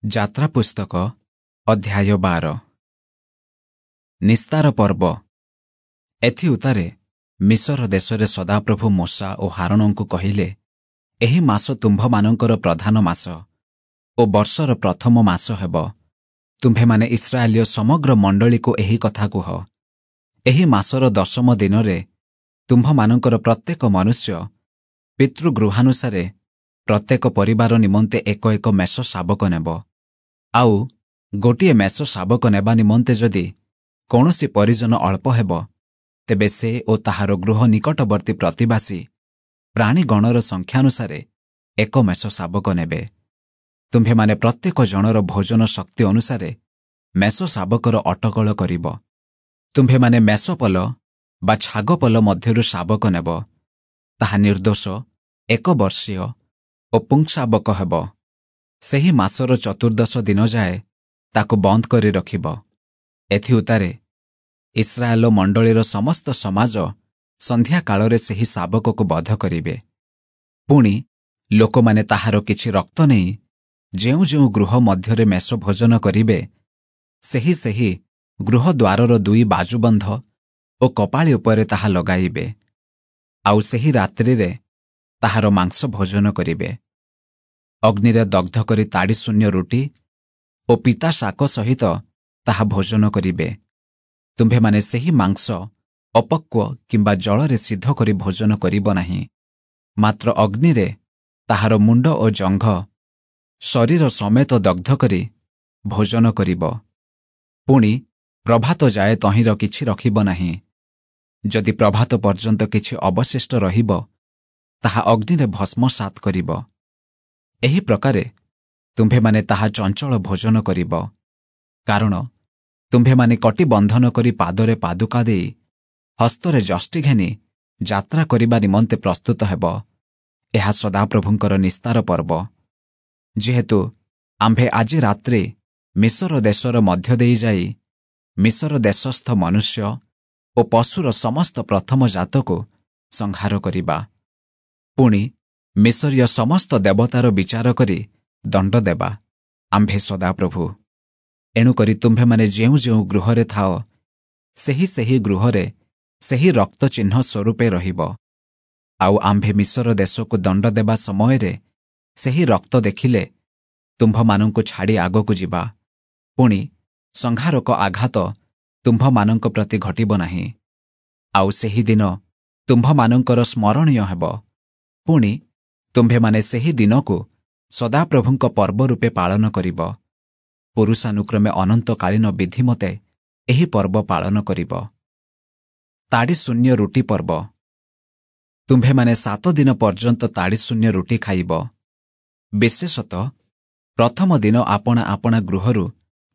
ଯାତ୍ରା ପୁସ୍ତକ ଅଧ୍ୟାୟ 12। ନିସ୍ତାର ପର୍ବ। ଏଥିଉତ୍ତାରେ ମିଶର ଦେଶରେ ସଦାପ୍ରଭୁ ମୋଶା ଓ ହାରୋଣଙ୍କୁ କହିଲେ, ଏହି ମାସ ତୁମ୍ଭମାନଙ୍କର ପ୍ରଧାନ ମାସ ଓ ବର୍ଷର ପ୍ରଥମ ମାସ ହେବ। ତୁମ୍ଭେମାନେ ଇସ୍ରାଏଲୀୟ ସମଗ୍ର ମଣ୍ଡଳୀକୁ ଏହି କଥା କୁହ, ଏହି ମାସର ଦଶମ ଦିନରେ ତୁମ୍ଭମାନଙ୍କର ପ୍ରତ୍ୟେକ ମନୁଷ୍ୟ ପିତୃଗୃହାନୁସାରେ ପ୍ରତ୍ୟେକ ପରିବାର ନିମନ୍ତେ ଏକ ଏକ ମେଷ ଶାବକ ନେବ। ଆଉ ଗୋଟିଏ ମେଷ ଶାବକ ନେବା ନିମନ୍ତେ ଯଦି କୌଣସି ପରିଜନ ଅଳ୍ପ ହେବ, ତେବେ ସେ ଓ ତାହାର ଗୃହ ନିକଟବର୍ତ୍ତୀ ପ୍ରତିବାସୀ ପ୍ରାଣୀଗଣର ସଂଖ୍ୟାନୁସାରେ ଏକ ମେଷ ଶାବକ ନେବେ। ତୁମ୍ଭେମାନେ ପ୍ରତ୍ୟେକ ଜଣର ଭୋଜନ ଶକ୍ତି ଅନୁସାରେ ମେଷ ଶାବକର ଅଟକଳ କରିବ। ତୁମ୍ଭେମାନେ ମେଷପଲ ବା ଛାଗପଲ ମଧ୍ୟରୁ ଶାବକ ନେବ, ତାହା ନିର୍ଦ୍ଦୋଷ, ଏକ ବର୍ଷୀୟ ଓ ପୁଂଶାବକ ହେବ। ସେହି ମାସର ଚତୁର୍ଦ୍ଦଶ ଦିନ ଯାଏ ତାକୁ ବନ୍ଦ କରି ରଖିବ। ଏଥିଉତ୍ତାରେ ଇସ୍ରାଏଲ ମଣ୍ଡଳୀର ସମସ୍ତ ସମାଜ ସନ୍ଧ୍ୟାକାଳରେ ସେହି ଶାବକକୁ ବଧ କରିବେ। ପୁଣି ଲୋକମାନେ ତାହାର କିଛି ରକ୍ତ ନେଇ ଯେଉଁ ଯେଉଁ ଗୃହ ମଧ୍ୟରେ ମେଷ ଭୋଜନ କରିବେ, ସେହି ସେହି ଗୃହ ଦ୍ୱାରର ଦୁଇ ବାଜୁବନ୍ଧ ଓ କପାଳି ଉପରେ ତାହା ଲଗାଇବେ। ଆଉ ସେହି ରାତ୍ରିରେ ତାହାର ମାଂସ ଭୋଜନ କରିବେ। ଅଗ୍ନିରେ ଦଗ୍ଧ କରି ତାଡ଼ି ଶୂନ୍ୟ ରୁଟି ଓ ପିତା ଶାକ ସହିତ ତାହା ଭୋଜନ କରିବେ। ତୁମ୍ଭେମାନେ ସେହି ମାଂସ ଅପକ୍ୱ କିମ୍ବା ଜଳରେ ସିଦ୍ଧ କରି ଭୋଜନ କରିବ ନାହିଁ, ମାତ୍ର ଅଗ୍ନିରେ ତାହାର ମୁଣ୍ଡ ଓ ଜଙ୍ଘ ଶରୀର ସମେତ ଦଗ୍ଧ କରି ଭୋଜନ କରିବ। ପୁଣି ପ୍ରଭାତ ଯାଏ ତହିଁର କିଛି ରଖିବ ନାହିଁ। ଯଦି ପ୍ରଭାତ ପର୍ଯ୍ୟନ୍ତ କିଛି ଅବଶିଷ୍ଟ ରହିବ, ତାହା ଅଗ୍ନିରେ ଭସ୍ମସାତ୍ କରିବ। ଏହି ପ୍ରକାରେ ତୁମ୍ଭେମାନେ ତାହା ଚଞ୍ଚଳ ଭୋଜନ କରିବ, କାରଣ ତୁମ୍ଭେମାନେ କଟିବନ୍ଧନ କରି ପାଦରେ ପାଦୁକା ଦେଇ ହସ୍ତରେ ଯଷ୍ଟି ଘେନି ଯାତ୍ରା କରିବା ନିମନ୍ତେ ପ୍ରସ୍ତୁତ ହେବ। ଏହା ସଦାପ୍ରଭୁଙ୍କର ନିସ୍ତାର ପର୍ବ। ଯେହେତୁ ଆମ୍ଭେ ଆଜି ରାତ୍ରି ମିଶର ଦେଶର ମଧ୍ୟ ଦେଇ ଯାଇ ମିଶର ଦେଶସ୍ଥ ମନୁଷ୍ୟ ଓ ପଶୁର ସମସ୍ତ ପ୍ରଥମ ଜାତକୁ ସଂହାର କରିବା, ପୁଣି ମିଶରୀୟ ସମସ୍ତ ଦେବତାର ବିଚାର କରି ଦଣ୍ଡ ଦେବା, ଆମ୍ଭେ ସଦାପ୍ରଭୁ। ଏଣୁକରି ତୁମ୍ଭେମାନେ ଯେଉଁ ଯେଉଁ ଗୃହରେ ଥାଅ, ସେହି ସେହି ଗୃହରେ ସେହି ରକ୍ତ ଚିହ୍ନ ସ୍ୱରୂପେ ରହିବ। ଆଉ ଆମ୍ଭେ ମିଶର ଦେଶକୁ ଦଣ୍ଡ ଦେବା ସମୟରେ ସେହି ରକ୍ତ ଦେଖିଲେ ତୁମ୍ଭମାନଙ୍କୁ ଛାଡ଼ି ଆଗକୁ ଯିବା, ପୁଣି ସଂହାରକ ଆଘାତ ତୁମ୍ଭମାନଙ୍କ ପ୍ରତି ଘଟିବ ନାହିଁ। ଆଉ ସେହି ଦିନ ତୁମ୍ଭମାନଙ୍କର ସ୍ମରଣୀୟ ହେବ। ପୁଣି ତୁମ୍ଭେମାନେ ସେହି ଦିନକୁ ସଦାପ୍ରଭୁଙ୍କ ପର୍ବ ରୂପେ ପାଳନ କରିବ। ପୁରୁଷାନୁକ୍ରମେ ଅନନ୍ତକାଳୀନ ବିଧିମତେ ଏହି ପର୍ବ ପାଳନ କରିବ। ତାଡ଼ି ଶୂନ୍ୟ ରୁଟି ପର୍ବ। ତୁମ୍ଭେମାନେ 7 ଦିନ ପର୍ଯ୍ୟନ୍ତ ତାଡ଼ି ଶୂନ୍ୟ ରୁଟି ଖାଇବ। ବିଶେଷତଃ ପ୍ରଥମ ଦିନ ଆପଣା ଆପଣା ଗୃହରୁ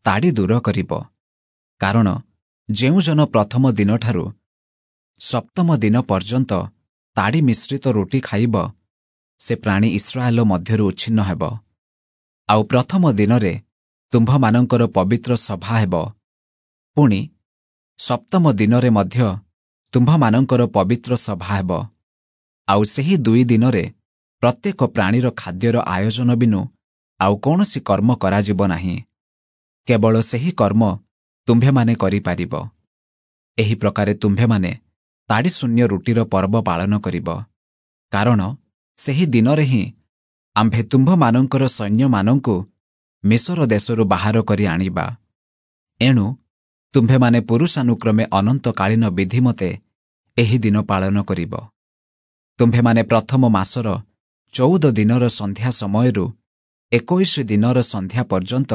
ତାଡ଼ି ଦୂର କରିବ, କାରଣ ଯେଉଁ ଜନ ପ୍ରଥମ ଦିନଠାରୁ ସପ୍ତମ ଦିନ ପର୍ଯ୍ୟନ୍ତ ତାଡ଼ି ମିଶ୍ରିତ ରୁଟି ଖାଇବ, ସେ ପ୍ରାଣୀ ଇସ୍ରାଏଲ ମଧ୍ୟରୁ ଉଚ୍ଛିନ୍ନ ହେବ। ଆଉ ପ୍ରଥମ ଦିନରେ ତୁମ୍ଭମାନଙ୍କର ପବିତ୍ର ସଭା ହେବ। ପୁଣି ସପ୍ତମ ଦିନରେ ମଧ୍ୟ ତୁମ୍ଭମାନଙ୍କର ପବିତ୍ର ସଭା ହେବ। ଆଉ ସେହି 2 ଦିନରେ ପ୍ରତ୍ୟେକ ପ୍ରାଣୀର ଖାଦ୍ୟର ଆୟୋଜନ ବିନୁ ଆଉ କୌଣସି କର୍ମ କରାଯିବ ନାହିଁ। କେବଳ ସେହି କର୍ମ ତୁମ୍ଭେମାନେ କରିପାରିବ। ଏହି ପ୍ରକାରେ ତୁମ୍ଭେମାନେ ତାଡ଼ି ଶୂନ୍ୟ ରୁଟିର ପର୍ବ ପାଳନ କରିବ, କାରଣ ସେହି ଦିନରେ ହିଁ ଆମ୍ଭେ ତୁମ୍ଭମାନଙ୍କର ସୈନ୍ୟମାନଙ୍କୁ ମିଶର ଦେଶରୁ ବାହାର କରି ଆଣିବା। ଏଣୁ ତୁମ୍ଭେମାନେ ପୁରୁଷାନୁକ୍ରମେ ଅନନ୍ତକାଳୀନ ବିଧିମତେ ଏହି ଦିନ ପାଳନ କରିବ। ତୁମ୍ଭେମାନେ ପ୍ରଥମ ମାସର 14 ଦିନର ସନ୍ଧ୍ୟା ସମୟରୁ 21 ଦିନର ସନ୍ଧ୍ୟା ପର୍ଯ୍ୟନ୍ତ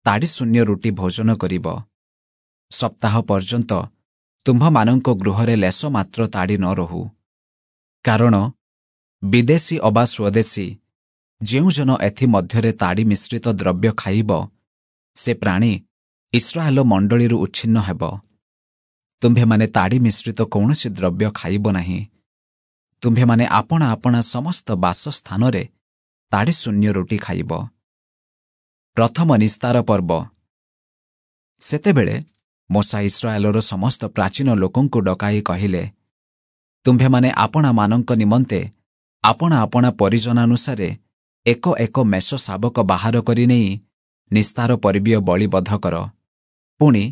ତାଡ଼ି ଶୂନ୍ୟ ରୁଟି ଭୋଜନ କରିବ। ସପ୍ତାହ ପର୍ଯ୍ୟନ୍ତ ତୁମ୍ଭମାନଙ୍କ ଗୃହରେ ଲେସ ମାତ୍ର ତାଡ଼ି ନ ରହୁ, କାରଣ ବିଦେଶୀ ଅବା ସ୍ୱଦେଶୀ ଯେଉଁ ଜନ ଏଥିମଧ୍ୟରେ ତାଡ଼ି ମିଶ୍ରିତ ଦ୍ରବ୍ୟ ଖାଇବ, ସେ ପ୍ରାଣୀ ଇସ୍ରାଏଲ ମଣ୍ଡଳୀରୁ ଉଚ୍ଛିନ୍ନ ହେବ। ତୁମ୍ଭେମାନେ ତାଡ଼ି ମିଶ୍ରିତ କୌଣସି ଦ୍ରବ୍ୟ ଖାଇବ ନାହିଁ। ତୁମ୍ଭେମାନେ ଆପଣା ଆପଣା ସମସ୍ତ ବାସସ୍ଥାନରେ ତାଡ଼ି ଶୂନ୍ୟ ରୁଟି ଖାଇବ। ପ୍ରଥମ ନିସ୍ତାର ପର୍ବ। ସେତେବେଳେ ମୋଶା ଇସ୍ରାଏଲର ସମସ୍ତ ପ୍ରାଚୀନ ଲୋକଙ୍କୁ ଡକାଇ କହିଲେ, ତୁମ୍ଭେମାନେ ଆପଣାମାନଙ୍କ ନିମନ୍ତେ ଆପଣା ଆପଣା ପରିଜନାନୁସାରେ ଏକ ଏକ ମେଷ ଶାବକ ବାହାର କରି ନେଇ ନିସ୍ତାର ପର୍ବୀୟ ବଳି ବଧ କର। ପୁଣି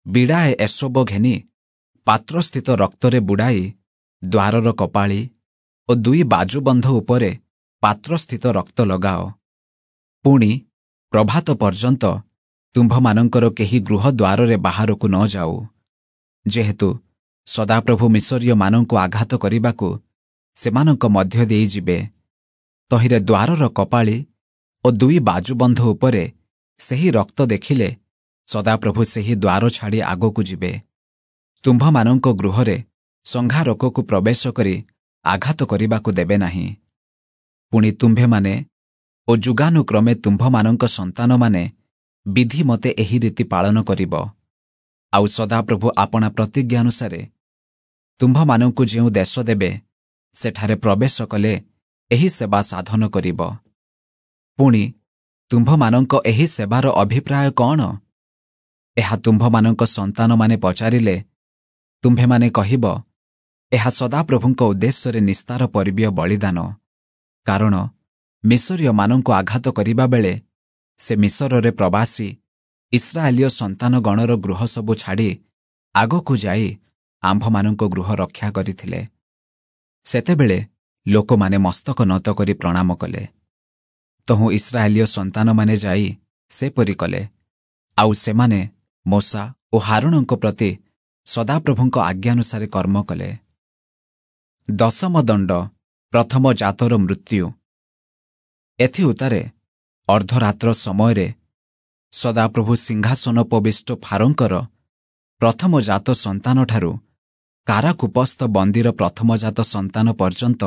ବିଡ଼ାଏ ଏସୋବ ଘେନି ପାତ୍ରସ୍ଥିତ ରକ୍ତରେ ବୁଡ଼ାଇ ଦ୍ୱାରର କପାଳି ଓ 2 ବାଜୁବନ୍ଧ ଉପରେ ପାତ୍ରସ୍ଥିତ ରକ୍ତ ଲଗାଅ। ପୁଣି ପ୍ରଭାତ ପର୍ଯ୍ୟନ୍ତ ତୁମ୍ଭମାନଙ୍କର କେହି ଗୃହ ଦ୍ୱାରରେ ବାହାରକୁ ନ ଯାଉ। ଯେହେତୁ ସଦାପ୍ରଭୁ ମିଶରୀୟମାନଙ୍କୁ ଆଘାତ କରିବାକୁ ସେମାନଙ୍କ ମଧ୍ୟ ଦେଇ ଯିବେ, ତହିଁରେ ଦ୍ୱାରର କପାଳି ଓ 2 ବାଜୁବନ୍ଧ ଉପରେ ସେହି ରକ୍ତ ଦେଖିଲେ ସଦାପ୍ରଭୁ ସେହି ଦ୍ୱାର ଛାଡ଼ି ଆଗକୁ ଯିବେ। ତୁମ୍ଭମାନଙ୍କ ଗୃହରେ ସଂହାରକକୁ ପ୍ରବେଶ କରି ଆଘାତ କରିବାକୁ ଦେବେ ନାହିଁ। ପୁଣି ତୁମ୍ଭେମାନେ ଓ ଯୁଗାନୁକ୍ରମେ ତୁମ୍ଭମାନଙ୍କ ସନ୍ତାନମାନେ ବିଧି ମତେ ଏହି ରୀତି ପାଳନ କରିବ। ଆଉ ସଦାପ୍ରଭୁ ଆପଣା ପ୍ରତିଜ୍ଞାନୁସାରେ ତୁମ୍ଭମାନଙ୍କୁ ଯେଉଁ ଦେଶ ଦେବେ, ସେଠାରେ ପ୍ରବେଶ କଲେ ଏହି ସେବା ସାଧନ କରିବ। ପୁଣି ତୁମ୍ଭମାନଙ୍କ ଏହି ସେବାର ଅଭିପ୍ରାୟ କ'ଣ? ଏହା ତୁମ୍ଭମାନଙ୍କ ସନ୍ତାନମାନେ ପଚାରିଲେ ତୁମ୍ଭେମାନେ କହିବ, ଏହା ସଦାପ୍ରଭୁଙ୍କ ଉଦ୍ଦେଶ୍ୟରେ ନିସ୍ତାର ପର୍ବୀୟ ବଳିଦାନ। କାରଣ ମିଶରୀୟମାନଙ୍କୁ ଆଘାତ କରିବା ବେଳେ ସେ ମିଶରରେ ପ୍ରବାସୀ ଇସ୍ରାଏଲୀୟ ସନ୍ତାନଗଣର ଗୃହ ସବୁ ଛାଡ଼ି ଆଗକୁ ଯାଇ ଆମ୍ଭମାନଙ୍କ ଗୃହ ରକ୍ଷା କରିଥିଲେ। ସେତେବେଳେ ଲୋକମାନେ ମସ୍ତକ ନତ କରି ପ୍ରଣାମ କଲେ। ତହୁଁ ଇସ୍ରାଏଲୀୟ ସନ୍ତାନମାନେ ଯାଇ ସେପରି କଲେ। ଆଉ ସେମାନେ ମୋଶା ଓ ହାରୋଣଙ୍କ ପ୍ରତି ସଦାପ୍ରଭୁଙ୍କ ଆଜ୍ଞାନୁସାରେ କର୍ମ କଲେ। ଦଶମ ଦଣ୍ଡ, ପ୍ରଥମ ଜାତର ମୃତ୍ୟୁ। ଏଥିଉତ୍ତାରେ ଅର୍ଦ୍ଧରାତ୍ର ସମୟରେ ସଦାପ୍ରଭୁ ସିଂହାସନୋପବିଷ୍ଟ ଫାରୋଙ୍କର ପ୍ରଥମ ଜାତ ସନ୍ତାନଠାରୁ କାରାକୂପସ୍ଥ ବନ୍ଦୀର ପ୍ରଥମଜାତ ସନ୍ତାନ ପର୍ଯ୍ୟନ୍ତ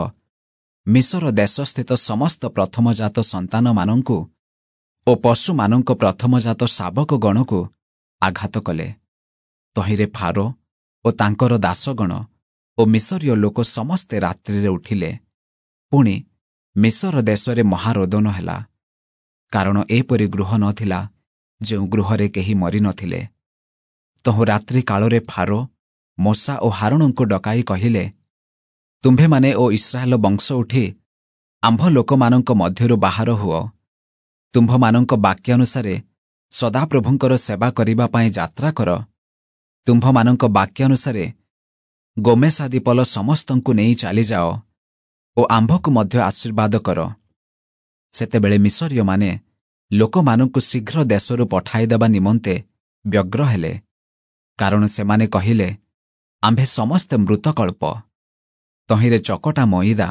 ମିଶର ଦେଶସ୍ଥିତ ସମସ୍ତ ପ୍ରଥମଜାତ ସନ୍ତାନମାନଙ୍କୁ ଓ ପଶୁମାନଙ୍କ ପ୍ରଥମଜାତ ଶାବକଗଣକୁ ଆଘାତ କଲେ। ତହିଁରେ ଫାରୋ ଓ ତାଙ୍କର ଦାସଗଣ ଓ ମିଶରୀୟ ଲୋକ ସମସ୍ତେ ରାତ୍ରିରେ ଉଠିଲେ। ପୁଣି ମିଶର ଦେଶରେ ମହାରୋଦନ ହେଲା, କାରଣ ଏପରି ଗୃହ ନଥିଲା ଯେଉଁ ଗୃହରେ କେହି ମରିନଥିଲେ। ତହୁଁ ରାତ୍ରି କାଳରେ ଫାରୋ ମୋଶା ଓ ହାରୋଣଙ୍କୁ ଡକାଇ କହିଲେ, ତୁମ୍ଭେମାନେ ଓ ଇସ୍ରାଏଲ ବଂଶ ଉଠି ଆମ୍ଭ ଲୋକମାନଙ୍କ ମଧ୍ୟରୁ ବାହାର ହୁଅ। ତୁମ୍ଭମାନଙ୍କ ବାକ୍ୟାନୁସାରେ ସଦାପ୍ରଭୁଙ୍କର ସେବା କରିବା ପାଇଁ ଯାତ୍ରା କର। ତୁମ୍ଭମାନଙ୍କ ବାକ୍ୟାନୁସାରେ ଗୋମେଶାଦି ପଲ ସମସ୍ତଙ୍କୁ ନେଇ ଚାଲିଯାଅ ଓ ଆମ୍ଭକୁ ମଧ୍ୟ ଆଶୀର୍ବାଦ କର। ସେତେବେଳେ ମିଶରୀୟମାନେ ଲୋକମାନଙ୍କୁ ଶୀଘ୍ର ଦେଶରୁ ପଠାଇଦେବା ନିମନ୍ତେ ବ୍ୟଗ୍ର ହେଲେ, କାରଣ ସେମାନେ କହିଲେ, ଆମ୍ଭେ ସମସ୍ତେ ମୃତକଳ୍ପ। ତହିଁରେ ଚକଟା ମଇଦା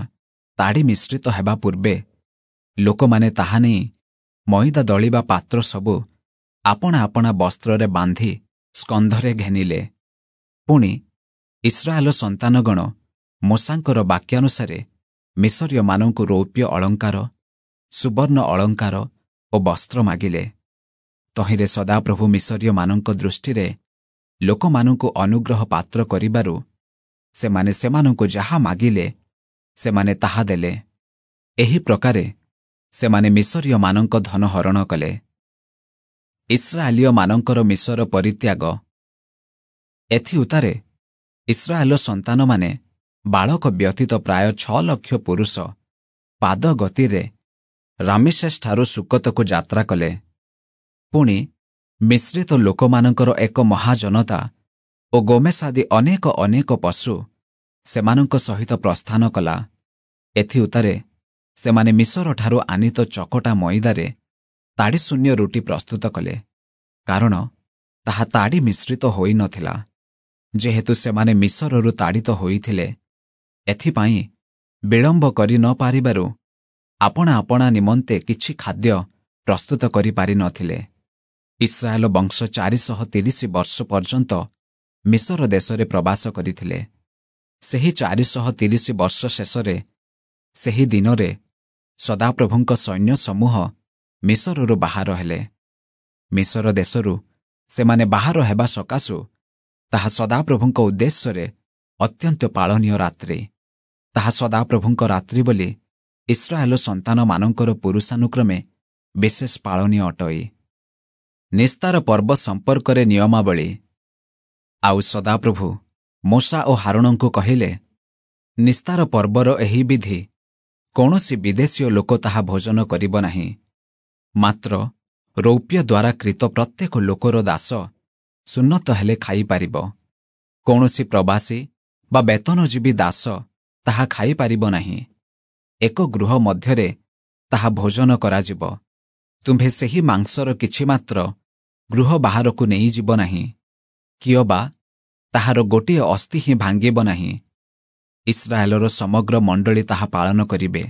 ତାଡ଼ି ମିଶ୍ରିତ ହେବା ପୂର୍ବେ ଲୋକମାନେ ତାହା ନେଇ ମଇଦା ଦଳିବା ପାତ୍ର ସବୁ ଆପଣା ଆପଣା ବସ୍ତ୍ରରେ ବାନ୍ଧି ସ୍କନ୍ଧରେ ଘେନିଲେ। ପୁଣି ଇସ୍ରାଏଲ ସନ୍ତାନଗଣ ମୋଶାଙ୍କର ବାକ୍ୟାନୁସାରେ ମିଶରୀୟମାନଙ୍କୁ ରୌପ୍ୟ ଅଳଙ୍କାର, ସୁବର୍ଣ୍ଣ ଅଳଙ୍କାର ଓ ବସ୍ତ୍ର ମାଗିଲେ। ତହିଁରେ ସଦାପ୍ରଭୁ ମିଶରୀୟମାନଙ୍କ ଦୃଷ୍ଟିରେ ଲୋକମାନଙ୍କୁ ଅନୁଗ୍ରହ ପାତ୍ର କରିବାରୁ ସେମାନେ ସେମାନଙ୍କୁ ଯାହା ମାଗିଲେ ସେମାନେ ତାହା ଦେଲେ। ଏହି ପ୍ରକାରେ ସେମାନେ ମିଶରୀୟମାନଙ୍କ ଧନ ହରଣ କଲେ। ଇସ୍ରାଏଲୀୟମାନଙ୍କର ମିଶର ପରିତ୍ୟାଗ। ଏଥିଉତ୍ତାରେ ଇସ୍ରାଏଲ ସନ୍ତାନମାନେ ବାଳକ ବ୍ୟତୀତ ପ୍ରାୟ 6 ଲକ୍ଷ ପୁରୁଷ ପାଦ ଗତିରେ ରାମିଶେଷଠାରୁ ସୁକତକୁ ଯାତ୍ରା କଲେ। ପୁଣି ମିଶ୍ରିତ ଲୋକମାନଙ୍କର ଏକ ମହାଜନତା ଓ ଗୋମେଶାଦି ଅନେକ ଅନେକ ପଶୁ ସେମାନଙ୍କ ସହିତ ପ୍ରସ୍ଥାନ କଲା। ଏଥିଉତ୍ତାରେ ସେମାନେ ମିଶରଠାରୁ ଆନିତ ଚକଟା ମଇଦାରେ ତାଡ଼ିଶୂନ୍ୟ ରୁଟି ପ୍ରସ୍ତୁତ କଲେ, କାରଣ ତାହା ତାଡ଼ି ମିଶ୍ରିତ ହୋଇନଥିଲା। ଯେହେତୁ ସେମାନେ ମିଶରରୁ ତାଡ଼ିତ ହୋଇଥିଲେ, ଏଥିପାଇଁ ବିଳମ୍ବ କରି ନ ପାରିବାରୁ ଆପଣା ଆପଣା ନିମନ୍ତେ କିଛି ଖାଦ୍ୟ ପ୍ରସ୍ତୁତ କରିପାରିନଥିଲେ। ଇସ୍ରାଏଲ ବଂଶ 430 ବର୍ଷ ପର୍ଯ୍ୟନ୍ତ ମିଶର ଦେଶରେ ପ୍ରବାସ କରିଥିଲେ। ସେହି 430 ବର୍ଷ ଶେଷରେ ସେହି ଦିନରେ ସଦାପ୍ରଭୁଙ୍କ ସୈନ୍ୟ ସମୂହ ମିଶରରୁ ବାହାର ହେଲେ। ମିଶର ଦେଶରୁ ସେମାନେ ବାହାର ହେବା ସକାଶୁ ତାହା ସଦାପ୍ରଭୁଙ୍କ ଉଦ୍ଦେଶ୍ୟରେ ଅତ୍ୟନ୍ତ ପାଳନୀୟ ରାତ୍ରି। ତାହା ସଦାପ୍ରଭୁଙ୍କ ରାତ୍ରି ବୋଲି ଇସ୍ରାଏଲ ସନ୍ତାନମାନଙ୍କର ପୁରୁଷାନୁକ୍ରମେ ବିଶେଷ ପାଳନୀୟ ଅଟଇ। ନିସ୍ତାର ପର୍ବ ସମ୍ପର୍କରେ ନିୟମାବଳୀ। ଆଉ ସଦାପ୍ରଭୁ ମୋଶା ଓ ହାରୋଣଙ୍କୁ କହିଲେ, ନିସ୍ତାର ପର୍ବର ଏହି ବିଧି, କୌଣସି ବିଦେଶୀୟ ଲୋକ ତାହା ଭୋଜନ କରିବ ନାହିଁ। ମାତ୍ର ରୌପ୍ୟ ଦ୍ୱାରା କ୍ରୀତ ପ୍ରତ୍ୟେକ ଲୋକର ଦାସ ସୁନ୍ନତ ହେଲେ ଖାଇପାରିବ। କୌଣସି ପ୍ରବାସୀ ବା ବେତନଜୀବୀ ଦାସ ତାହା ଖାଇପାରିବ ନାହିଁ। ଏକ ଗୃହ ମଧ୍ୟରେ ତାହା ଭୋଜନ କରାଯିବ। ତୁମ୍ଭେ ସେହି ମାଂସର କିଛି ମାତ୍ର ଗୃହ ବାହାରକୁ ନେଇଯିବ ନାହିଁ, କିଅବା ତାହାର ଗୋଟିଏ ଅସ୍ଥି ହିଁ ଭାଙ୍ଗିବ ନାହିଁ। ଇସ୍ରାଏଲର ସମଗ୍ର ମଣ୍ଡଳୀ ତାହା ପାଳନ କରିବେ।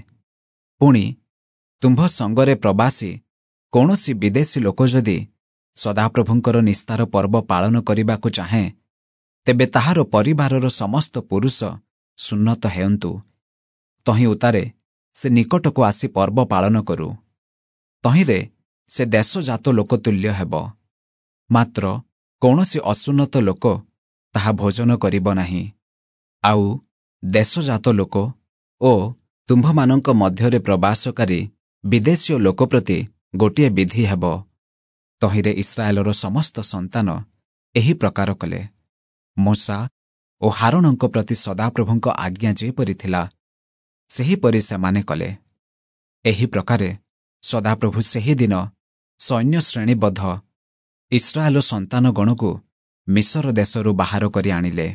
ପୁଣି ତୁମ୍ଭ ସଙ୍ଗରେ ପ୍ରବାସୀ କୌଣସି ବିଦେଶୀ ଲୋକ ଯଦି ସଦାପ୍ରଭୁଙ୍କର ନିସ୍ତାର ପର୍ବ ପାଳନ କରିବାକୁ ଚାହେଁ, ତେବେ ତାହାର ପରିବାରର ସମସ୍ତ ପୁରୁଷ ସୁନ୍ନତ ହେଉନ୍ତୁ। ତହିଁ ଉତ୍ତାରେ ସେ ନିକଟକୁ ଆସି ପର୍ବ ପାଳନ କରୁ। ତହିଁରେ ସେ ଦେଶଜାତ ଲୋକ ତୁଲ୍ୟ ହେବ। ମାତ୍ର କୌଣସି ଅସୁନ୍ନତ ଲୋକ ତାହା ଭୋଜନ କରିବ ନାହିଁ। ଆଉ ଦେଶଜାତ ଲୋକ ଓ ତୁମ୍ଭମାନଙ୍କ ମଧ୍ୟରେ ପ୍ରବାସକାରୀ ବିଦେଶୀୟ ଲୋକ ପ୍ରତି ଗୋଟିଏ ବିଧି ହେବ। ତହିଁରେ ଇସ୍ରାଏଲର ସମସ୍ତ ସନ୍ତାନ ଏହି ପ୍ରକାର କଲେ। ମୋଶା ଓ ହାରୋଣଙ୍କ ପ୍ରତି ସଦାପ୍ରଭୁଙ୍କ ଆଜ୍ଞା ଯେପରି ଥିଲା, ସେହିପରି ସେମାନେ କଲେ। ଏହି ପ୍ରକାରେ ସଦାପ୍ରଭୁ ସେହିଦିନ ସୈନ୍ୟ ଶ୍ରେଣୀବଦ୍ଧ ଇସ୍ରାଏଲ ସନ୍ତାନଗଣକୁ ମିଶର ଦେଶରୁ ବାହାର କରି ଆଣିଲେ।